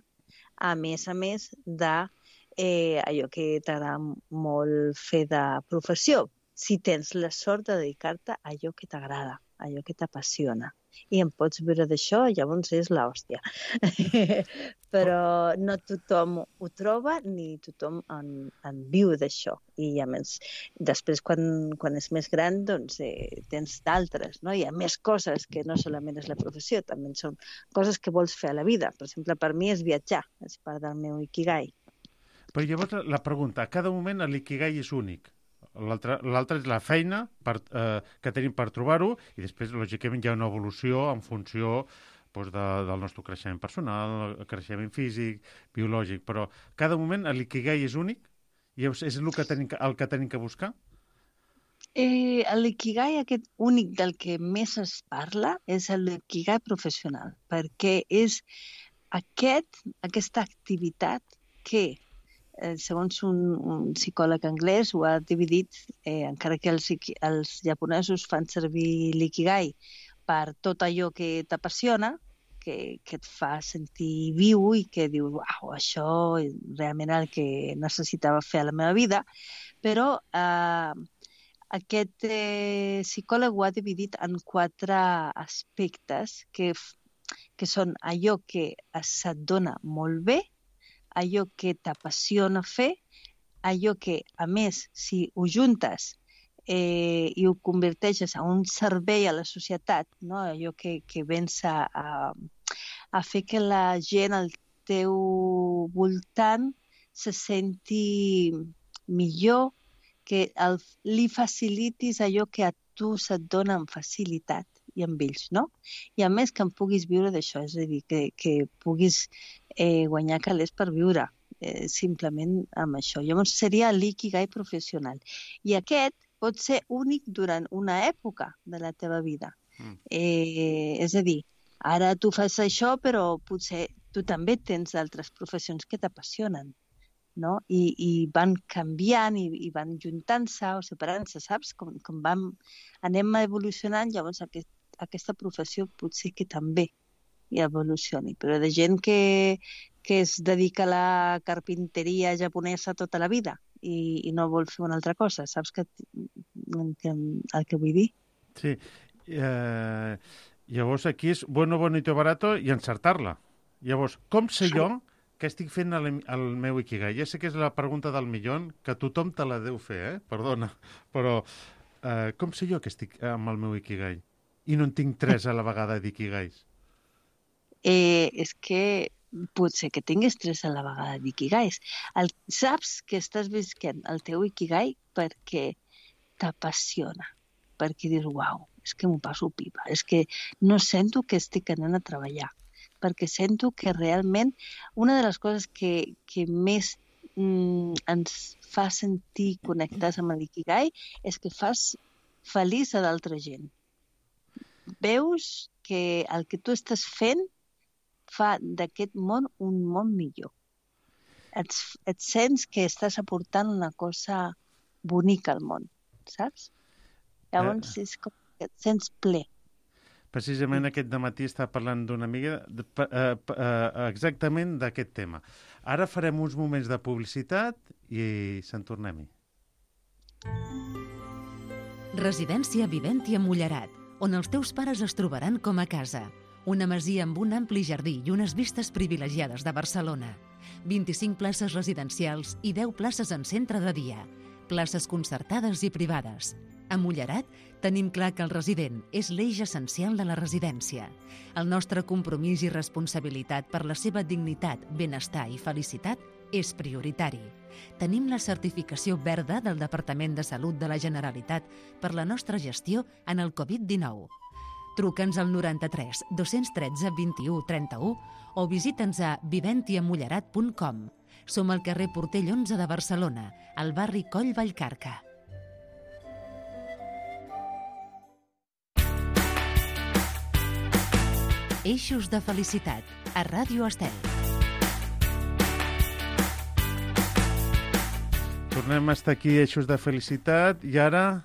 Speaker 10: a més a més de eh, allò que t'agrada molt fer de professió, si tens la sort de dedicar-te a allò que t'agrada, a allò que t'apassiona. I en pots viure d'això, llavors és l'hòstia. Però no tothom ho troba ni tothom en, en viu d'això. I a més, després quan, quan és més gran, doncs eh, tens d'altres, no? Hi ha més coses que no solament és la professió, també són coses que vols fer a la vida. Per exemple, per mi és viatjar, és part del meu ikigai.
Speaker 2: Però llavors la pregunta, a cada moment l'ikigai és únic. L'altre és la feina per, eh, que tenim per trobar-ho i després, lògicament, hi ha una evolució en funció doncs, de, del nostre creixement personal, creixement físic, biològic, però cada moment l'ikigai és únic i és el que tenim, el que tenim que buscar?
Speaker 10: Eh, l'ikigai aquest únic del que més es parla és l'ikigai professional, perquè és aquest, aquesta activitat que Eh, segons un, un psicòleg anglès, ho ha dividit, eh, encara que els, els japonesos fan servir l'ikigai per tot allò que t'apassiona, que, que et fa sentir viu i que dius, uau, això és realment el que necessitava fer a la meva vida, però eh, aquest eh, psicòleg ho ha dividit en quatre aspectes que, que són allò que se't dona molt bé, allò que t'apassiona fer, allò que, a més, si ho juntes eh, i ho converteixes en un servei a la societat, no? Allò que, que vens a, a, a fer que la gent al teu voltant se senti millor, que el, li facilitis allò que a tu se't dona amb facilitat i amb ells, no? I a més que en puguis viure d'això, és a dir, que, que puguis eh, guanyar calés per viure, eh, simplement amb això. Llavors seria l'ikigai professional. I aquest pot ser únic durant una època de la teva vida. Mm. Eh, és a dir, ara tu fas això, però potser tu també tens altres professions que t'apassionen, no? I, i van canviant i, i van juntant-se o separant-se, saps? Com, com vam, anem evolucionant, llavors aquest aquesta professió potser que també hi evolucioni, però de gent que, que es dedica a la carpinteria japonesa tota la vida i, i no vol fer una altra cosa, saps que, que, el que vull dir?
Speaker 2: Sí, eh, llavors aquí és bueno, bonito, barato i encertar-la. Llavors, com sé jo que estic fent el, el meu ikigai? Ja sé que és la pregunta del milió, que tothom te la deu fer, eh? Perdona, però eh, com sé jo que estic amb el meu ikigai? I no en tinc tres a la vegada d'ikigais?
Speaker 10: Eh, és que potser que tinguis tres a la vegada d'ikigais. El, saps que estàs visquent el teu ikigai perquè t'apassiona, perquè dius, uau, és que m'ho passo pipa, és que no sento que estic anant a treballar, perquè sento que realment una de les coses que, que més mm, ens fa sentir connectats amb l'ikigai és que fas feliç a d'altra gent. Veus que el que tu estàs fent fa d'aquest món un món millor. Et, et sents que estàs aportant una cosa bonica al món, saps? Llavors eh. és com que et sents ple.
Speaker 2: Precisament aquest dematí estava parlant d'una amiga de, uh, uh, exactament d'aquest tema. Ara farem uns moments de publicitat i se'n tornem-hi.
Speaker 4: Residència Viventia Mullerat, on els teus pares es trobaran com a casa. Una masia amb un ampli jardí i unes vistes privilegiades de Barcelona. vint-i-cinc places residencials i deu places en centre de dia. Places concertades i privades. A Mullerat tenim clar que el resident és l'eix essencial de la residència. El nostre compromís i responsabilitat per la seva dignitat, benestar i felicitat és prioritari. Tenim la certificació verda del Departament de Salut de la Generalitat per la nostra gestió en el covid dinou. Truca'ns al noranta-tres dos-cents tretze vint-i-u trenta-u o visita'ns a viventia mullerat punt com. Som al carrer Portell onze de Barcelona, al barri Coll Vallcarca. Eixos de felicitat, a Ràdio Estel.
Speaker 2: Tornem a estar aquí, Eixos de felicitat, i ara,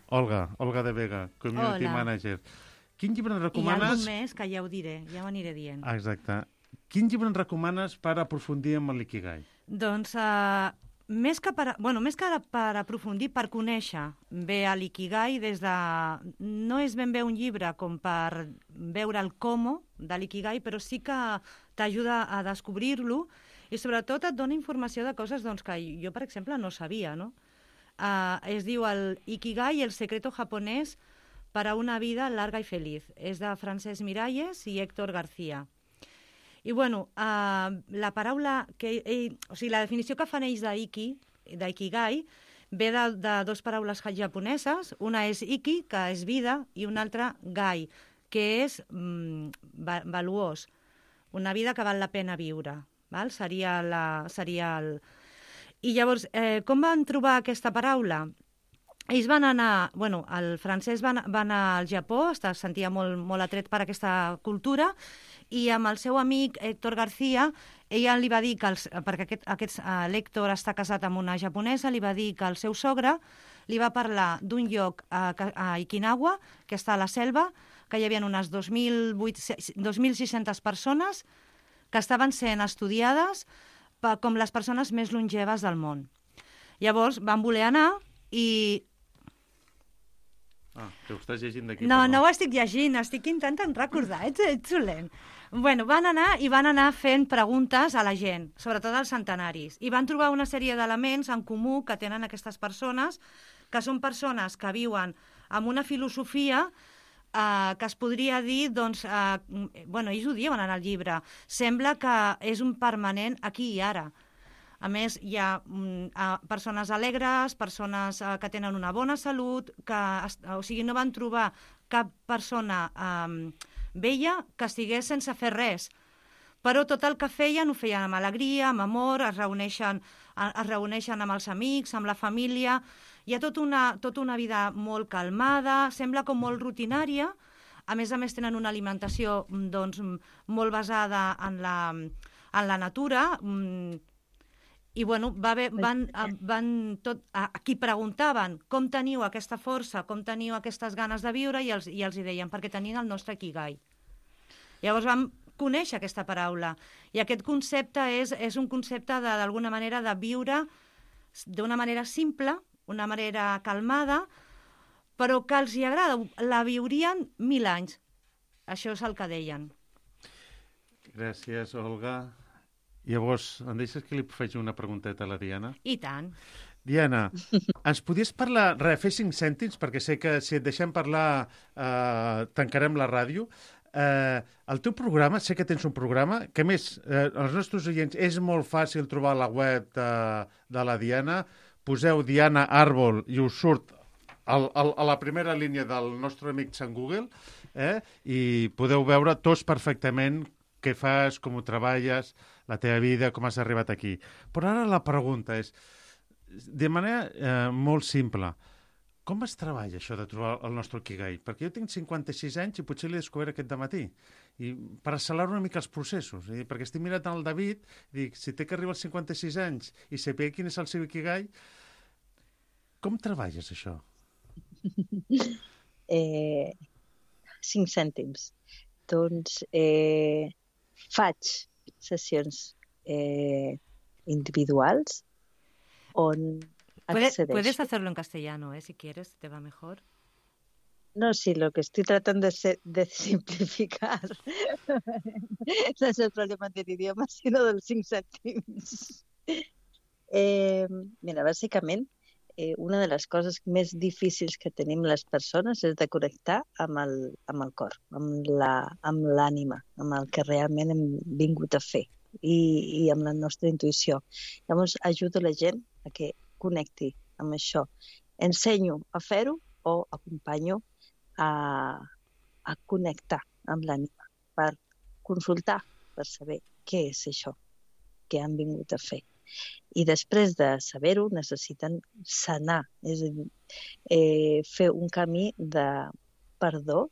Speaker 2: Olga, Olga de Vega, Community
Speaker 11: Hola.
Speaker 2: Manager. Quin llibre ens
Speaker 11: I
Speaker 2: recomanes...
Speaker 11: alguna més que ja ho diré, ja ho aniré dient.
Speaker 2: Ah, exacte. Quin llibre ens recomanes per aprofundir amb l'ikigai?
Speaker 11: Doncs, uh, més que, per, bueno, més que per aprofundir, per conèixer bé l'ikigai, des de... no és ben bé un llibre com per veure el com de l'ikigai, però sí que t'ajuda a descobrir-lo i sobretot et dona informació de coses doncs, que jo, per exemple, no sabia. No? Uh, es diu el Ikigai, el secreto japonès para una vida larga y feliz. És de Francesc Miralles i Héctor García. I, bueno, uh, la paraula, que, ell, o sigui, la definició que fan ells d'Iki, d'Ikigai, ve de, de dues paraules japoneses. Una és Iki, que és vida, i una altra Gai, que és mm, valuós. Una vida que val la pena viure. Val? Seria, la, seria el... I llavors, eh, com van trobar aquesta paraula? Ells van anar... Bueno, el francès va, va anar al Japó, es sentia molt, molt atret per aquesta cultura, i amb el seu amic Héctor García, ella li va dir que, els, perquè aquest, aquest uh, l'Héctor està casat amb una japonesa, li va dir que el seu sogre li va parlar d'un lloc a, a Okinawa, que està a la selva, que hi havia unes dos mil sis-centes persones que estaven sent estudiades per, com les persones més longeves del món. Llavors van voler anar i...
Speaker 2: Ah, que ho estàs llegint d'aquí.
Speaker 11: No, no ho estic llegint, estic intentant recordar, ets, ets solent. Bueno, van anar i van anar fent preguntes a la gent, sobretot als centenaris, i van trobar una sèrie d'elements en comú que tenen aquestes persones, que són persones que viuen amb una filosofia Uh, que es podria dir, doncs, uh, bueno, ells ho diuen en el llibre, sembla que és un permanent aquí i ara. A més, hi ha um, uh, persones alegres, persones uh, que tenen una bona salut, que, o sigui, no van trobar cap persona um, vella que estigués sense fer res. Però tot el que feien ho feien amb alegria, amb amor, es reuneixen, es reuneixen amb els amics, amb la família. Hi ha tota una, tota una vida molt calmada, sembla com molt rutinària. A més a més tenen una alimentació doncs, molt basada en la, en la natura. I bueno, va haver, van, van tot, aquí preguntaven com teniu aquesta força, com teniu aquestes ganes de viure, i els, i els hi deien perquè tenien el nostre Ikigai. Llavors vam conèixer aquesta paraula. I aquest concepte és, és un concepte d'alguna manera de viure d'una manera simple, una manera calmada, però que els hi agrada. La viurien mil anys. Això és el que deien.
Speaker 2: Gràcies, Olga. Llavors, em deixes que li faig una pregunteta a la Diana?
Speaker 11: I tant.
Speaker 2: Diana, ens podies parlar, re, fer cinc cèntims, perquè sé que si et deixem parlar eh, tancarem la ràdio. Eh, el teu programa, sé que tens un programa, que a més, eh, als nostres oients és molt fàcil trobar la web de, de la Diana. Poseu Diana Àrbol i us surt al, al, a la primera línia del nostre amic Sant Google, eh? I podeu veure tots perfectament què fas, com ho treballes, la teva vida, com has arribat aquí. Però ara la pregunta és, de manera eh, molt simple, com es treballa això de trobar el nostre Ikigai? Perquè jo tinc cinquanta-sis anys i potser l'he descobert aquest dematí. I per accelerar una mica els processos. I perquè estic mirant el David, dic, si té que arribar als cinquanta-sis anys i saber quin és el seu Ikigai, com treballes això?
Speaker 10: eh, cinc cèntims. Doncs eh, faig sessions eh, individuals on
Speaker 11: Puedes,
Speaker 10: accedeixo.
Speaker 11: puedes hacerlo en castellano, ¿eh? Si quieres, te va mejor.
Speaker 10: No, sí, lo que estoy tratando de, ser, de simplificar no es el problema del idioma, sino dels cinc cèntims. Eh, mira, bàsicament, eh, una de les coses més difícils que tenim les persones és de connectar amb el, amb el cor, amb la, amb l'ànima, amb el que realment hem vingut a fer i, i amb la nostra intuïció. Llavors, ajudo la gent a que connecti amb això. Ensenyo a fer-ho o acompanyo a, a connectar amb l'ànima per consultar, per saber què és això que han vingut a fer. I després de saber-ho necessiten sanar, és a dir, eh, fer un camí de perdó,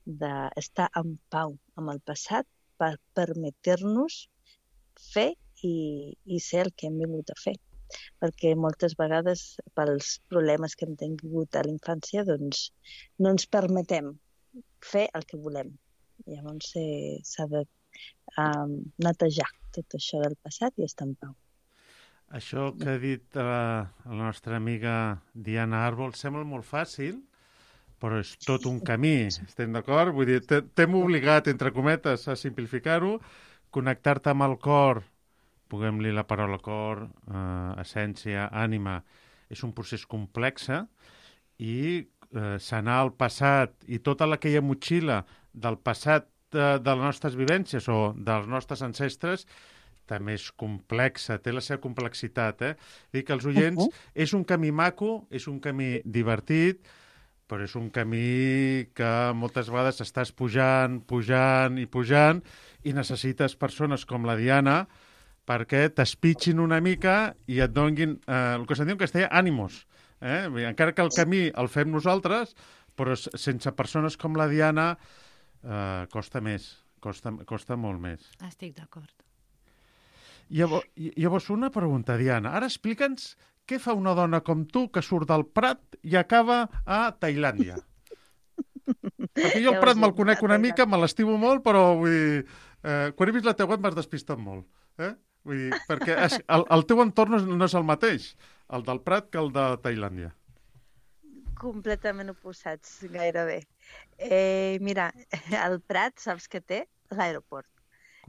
Speaker 10: d'estar en pau amb el passat per permetre-nos fer i, i ser el que hem vingut a fer. Perquè moltes vegades, pels problemes que hem tingut a la infància, doncs no ens permetem fer el que volem. Llavors eh, s'ha de um, netejar tot això del passat i estar en pau.
Speaker 2: Això que ha dit la, la nostra amiga Diana Àrbol sembla molt fàcil, però és tot un camí, estem d'acord? Vull dir, t'hem obligat, entre cometes, a simplificar-ho, connectar-te amb el cor, puguem-li la paraula cor, eh, essència, ànima, és un procés complex i eh, sanar el passat i tota aquella motxilla del passat eh, de les nostres vivències o dels nostres ancestres també és complexa, té la seva complexitat. Eh? Dic que els oients, uh-huh. és un camí maco, és un camí divertit, però és un camí que moltes vegades estàs pujant, pujant i pujant i necessites persones com la Diana perquè t'espitxin una mica i et donguin, eh, el que se'n diu en castellà, ànimos. Eh? Encara que el camí el fem nosaltres, però sense persones com la Diana eh, costa més, costa, costa molt més.
Speaker 11: Estic d'acord.
Speaker 2: Llavors, llavors, una pregunta, Diana. Ara explica'ns què fa una dona com tu que surt del Prat i acaba a Tailàndia. Perquè jo el Prat me'l conec una mica, me l'estimo molt, però vull dir, eh, quan he vist la teva web m'has despistat molt. Eh? Vull dir, perquè és, el, el teu entorn no és el mateix, el del Prat que el de Tailàndia.
Speaker 10: Completament oposats, gairebé. Eh, mira, el Prat, saps què té? L'aeroport.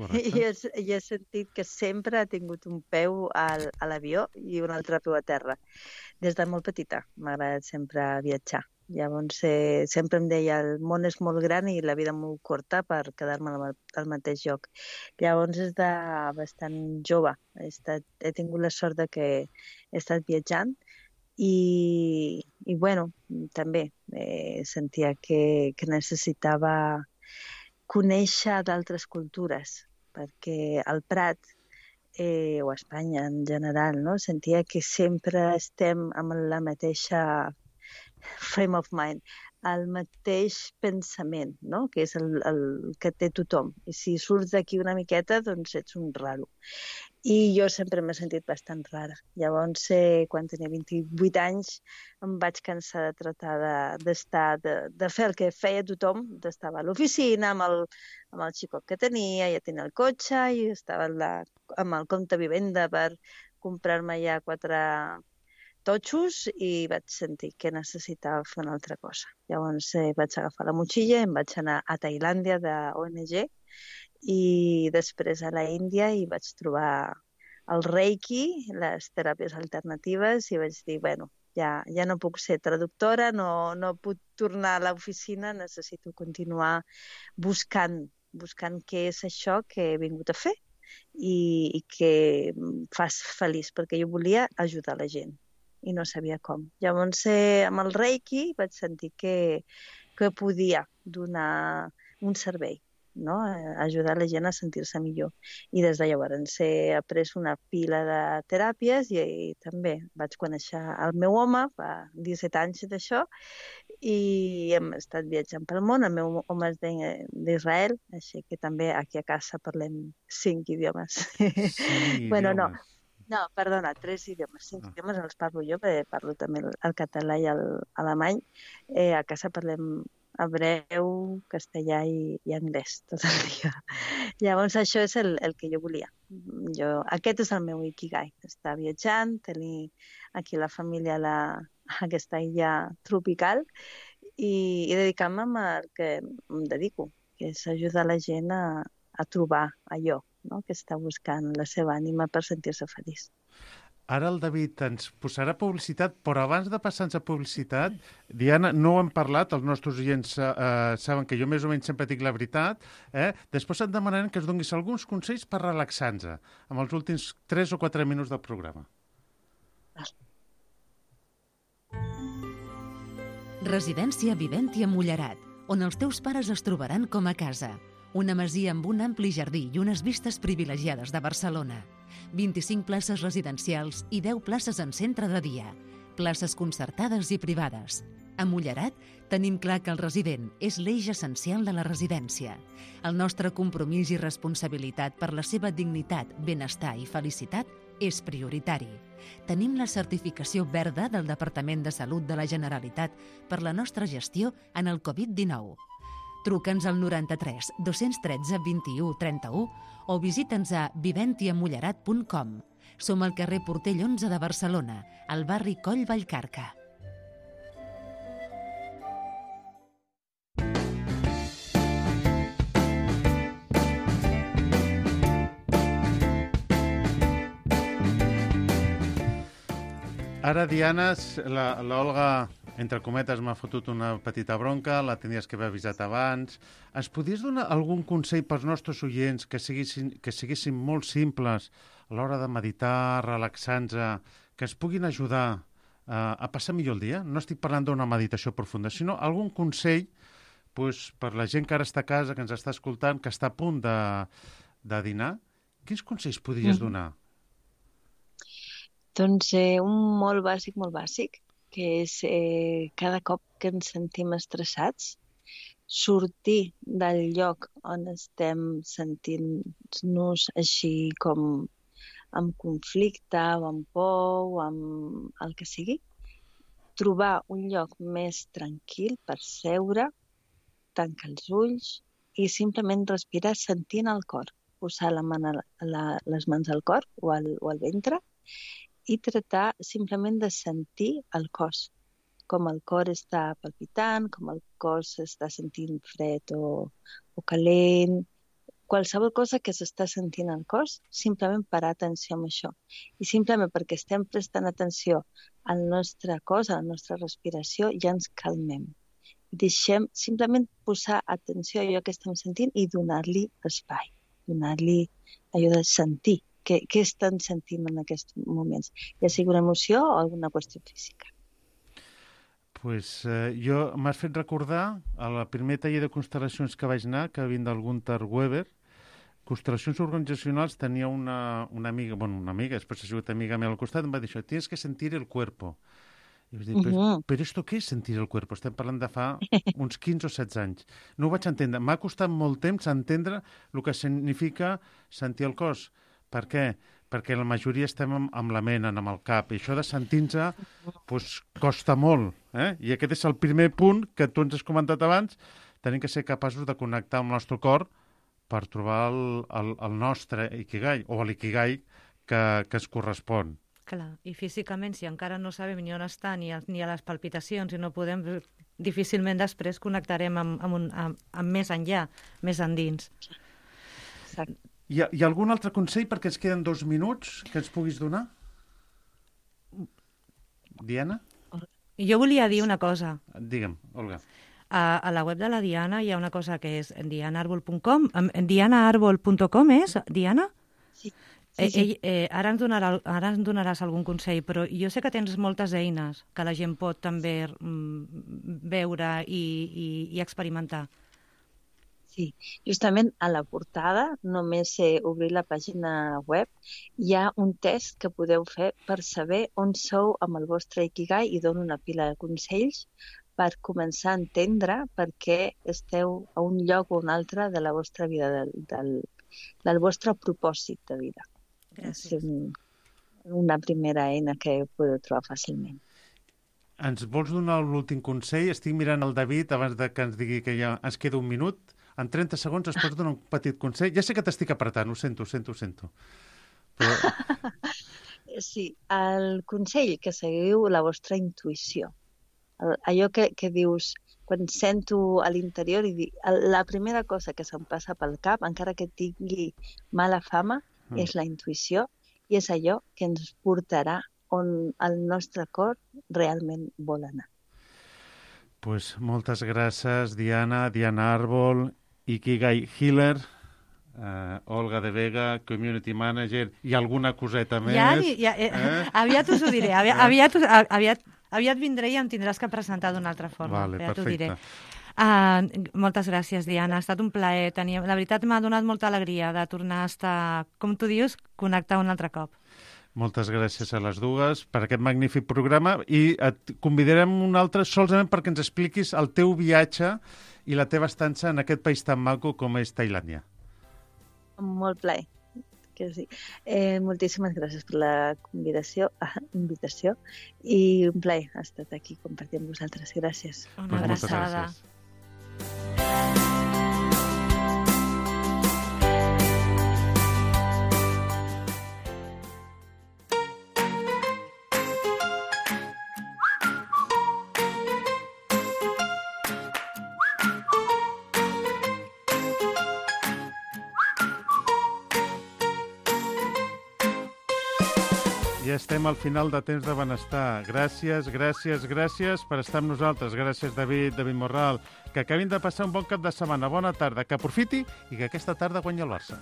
Speaker 10: I he, he sentit que sempre ha tingut un peu al, a l'avió i un altre peu a terra. Des de molt petita m'ha agradat sempre viatjar. Llavors, eh, sempre em deia, el món és molt gran i la vida molt curta per quedar-me al, al mateix lloc. Llavors, des de bastant jove, he, estat, he tingut la sort de que he estat viatjant i, i bueno, també eh, sentia que, que necessitava conèixer d'altres cultures, perquè al Prat, eh, o a Espanya en general, no? Sentia que sempre estem amb la mateixa frame of mind, el mateix pensament, no? Que és el, el que té tothom. I si surts d'aquí una miqueta, doncs ets un raro. I jo sempre m'he sentit bastant rara. Llavors, eh, quan tenia vint-i-vuit anys, em vaig cansar de tratar d'estar, de, de, de fer el que feia tothom, d'estar a l'oficina amb el, amb el xicot que tenia, ja tenia el cotxe, i estava la, amb el compte vivenda per comprar-me ja quatre totxos i vaig sentir que necessitava fer una altra cosa. Llavors eh, vaig agafar la motxilla i em vaig anar a Tailàndia de O N G i després a la Índia i vaig trobar el Reiki, les teràpies alternatives i vaig dir, bueno, ja, ja no puc ser traductora, no, no puc tornar a l'oficina, necessito continuar buscant, buscant què és això que he vingut a fer i, i que em fas feliç, perquè jo volia ajudar la gent i no sabia com. Llavors, eh, amb el Reiki vaig sentir que, que podia donar un servei no? Ajudar la gent a sentir-se millor. I des de llavors he après una pila de teràpies i, i també vaig conèixer el meu home fa disset anys d'això i hem estat viatjant pel món. El meu home és d'Israel, així que també aquí a casa parlem cinc idiomes.
Speaker 2: Sí,
Speaker 10: bueno, no,
Speaker 2: idiomes.
Speaker 10: no, perdona, tres idiomes. Cinc
Speaker 2: Ah.
Speaker 10: idiomes els parlo jo, perquè parlo també el, el català i l'alemany. Eh, a casa parlem hebreu, castellà i, i anglès tot el dia. Llavors això és el, el que jo volia. Jo, aquest és el meu ikigai, estar viatjant, tenir aquí la família a, la, a aquesta illa tropical i, i dedicar-me al que em dedico, que és ajudar la gent a, a trobar allò, no? Que està buscant la seva ànima per sentir-se feliç.
Speaker 2: Ara el David ens posarà publicitat, però abans de passar-nos a publicitat, Diana, no ho hem parlat, els nostres oients eh, saben que jo més o menys sempre dic la veritat, eh? Després et demanarem que ens donis alguns consells per relaxar-nos amb els últims tres o quatre minuts del programa.
Speaker 4: Residència Viventi a Mullerat, on els teus pares es trobaran com a casa. Una masia amb un ampli jardí i unes vistes privilegiades de Barcelona. vint-i-cinc places residencials i deu places en centre de dia. Places concertades i privades. A Mullerat tenim clar que el resident és l'eix essencial de la residència. El nostre compromís i responsabilitat per la seva dignitat, benestar i felicitat és prioritari. Tenim la certificació verda del Departament de Salut de la Generalitat per la nostra gestió en el covid dinou. Truca'ns al noranta-tres dos-cents tretze vint-i-u trenta-u o visita'ns a viventiamullerat punt com. Som al carrer Portell onze de Barcelona, al barri Coll Vallcarca.
Speaker 2: Ara, Diana, l'Olga, entre cometes, m'ha fotut una petita bronca, la tenies que haver avisat abans. Ens podries donar algun consell pels nostres oients que siguessin, que siguessin molt simples a l'hora de meditar, relaxar-nos, que ens puguin ajudar eh, a passar millor el dia? No estic parlant d'una meditació profunda, sinó algun consell pues, per la gent que ara està a casa, que ens està escoltant, que està a punt de, de dinar. Quins consells podries donar?
Speaker 10: Doncs eh, un molt bàsic, molt bàsic, que és eh, cada cop que ens sentim estressats, sortir del lloc on estem sentint-nos així com amb conflicte o amb por o amb el que sigui, trobar un lloc més tranquil per seure, tancar els ulls i simplement respirar sentint el cor, posar la mà, la, les mans al cor o al, o al ventre i tratar simplement de sentir el cos, com el cor està palpitant, com el cos s'està sentint fred o, o calent, qualsevol cosa que s'està sentint al cos, simplement parar atenció amb això. I simplement perquè estem prestant atenció al nostre cos, a la nostra respiració, ja ens calmem. Deixem simplement posar atenció a allò que estem sentint i donar-li espai, donar-li allò de sentir. Què, què estan sentint en aquests moments? Ja sigui una emoció o alguna qüestió física.
Speaker 2: Pues, eh, jo m'has fet recordar a la primer taller de constel·lacions que vaig anar, que vint del Gunther Weber. Constel·lacions organizacionals tenia una, una amiga, bueno, una amiga, després ha sigut amiga meva al costat, em va dir això, tienes que sentir el cuerpo. I vaig dir, però,
Speaker 10: Uh-huh.
Speaker 2: però esto què és sentir el cuerpo? Estem parlant de fa uns quinze o setze anys. No ho vaig entendre. M'ha costat molt temps entendre el que significa sentir el cos. Per què? Perquè la majoria estem amb, amb la ment, amb el cap, i això de sentir-nos pues, costa molt. Eh? I aquest és el primer punt que tu ens has comentat abans, tenim que ser capaços de connectar amb el nostre cor per trobar el, el, el nostre ikigai, o l'ikigai que, que es correspon.
Speaker 11: Clar, i físicament, si encara no sabem ni on està, ni a, ni a les palpitacions, i no podem, difícilment després connectarem amb, amb, un, amb, amb més enllà, més endins.
Speaker 10: Exacte.
Speaker 2: Hi ha, hi ha algun altre consell, perquè ens queden dos minuts, que ens puguis donar? Diana?
Speaker 11: Jo volia dir una cosa.
Speaker 2: Digue'm, Olga.
Speaker 11: A, a la web de la Diana hi ha una cosa que és diana arbol punt com. diana arbol punt com és, Diana?
Speaker 10: Sí.
Speaker 11: Eh,
Speaker 10: Sí, sí.
Speaker 11: ell, eh, ara, ens donarà, ara ens donaràs algun consell, però jo sé que tens moltes eines que la gent pot també mm, veure i, i, i experimentar.
Speaker 10: Sí, justament a la portada, només sé obrir la pàgina web, hi ha un test que podeu fer per saber on sou amb el vostre Ikigai i dono una pila de consells per començar a entendre per què esteu a un lloc o un altre de la vostra vida, del, del, del vostre propòsit de vida.
Speaker 11: Gràcies.
Speaker 10: És un, una primera eina que podeu trobar fàcilment.
Speaker 2: Ens vols donar l'últim consell? Estic mirant el David abans de que ens digui que ja ens queda un minut. En trenta segons es pots donar un petit consell? Ja sé que t'estic apretant, ho sento, ho sento, ho sento. Però...
Speaker 10: Sí, el consell que seguiu la vostra intuïció. El, allò que, que dius, quan sento a l'interior, i dic, la primera cosa que se'm passa pel cap, encara que tingui mala fama, mm. és la intuïció i és allò que ens portarà on el nostre cor realment vol anar.
Speaker 2: Pues moltes gràcies, Diana, Diana Àrbol, Ikigai Healer, uh, Olga de Vega, Community Manager i alguna coseta més.
Speaker 11: Ja, ja, eh, eh? Aviat us ho diré, aviat, aviat, aviat, aviat vindré i em tindràs que presentar d'una altra forma.
Speaker 2: Vale,
Speaker 11: ja
Speaker 2: perfecte.
Speaker 11: Diré. Uh, moltes gràcies, Diana. Ha estat un plaer. Tenia... La veritat m'ha donat molta alegria de tornar a estar, com tu dius, connectar un altre cop.
Speaker 2: Moltes gràcies a les dues per aquest magnífic programa i et convidarem un altre solament perquè ens expliquis el teu viatge i la teva estança en aquest país tan maco com és Tailàndia.
Speaker 10: Molt plaer, que sí. Eh, moltíssimes gràcies per la convidació, ah, invitació i un plaer ha estat aquí compartir amb vosaltres. Gràcies.
Speaker 11: Una
Speaker 2: Pues
Speaker 11: abraçada.
Speaker 2: Ja estem al final de Temps de Benestar. Gràcies, gràcies, gràcies per estar amb nosaltres. Gràcies, David, David Morral. Que acabin de passar un bon cap de setmana. Bona tarda, que aprofiti i que aquesta tarda guanyi el Barça.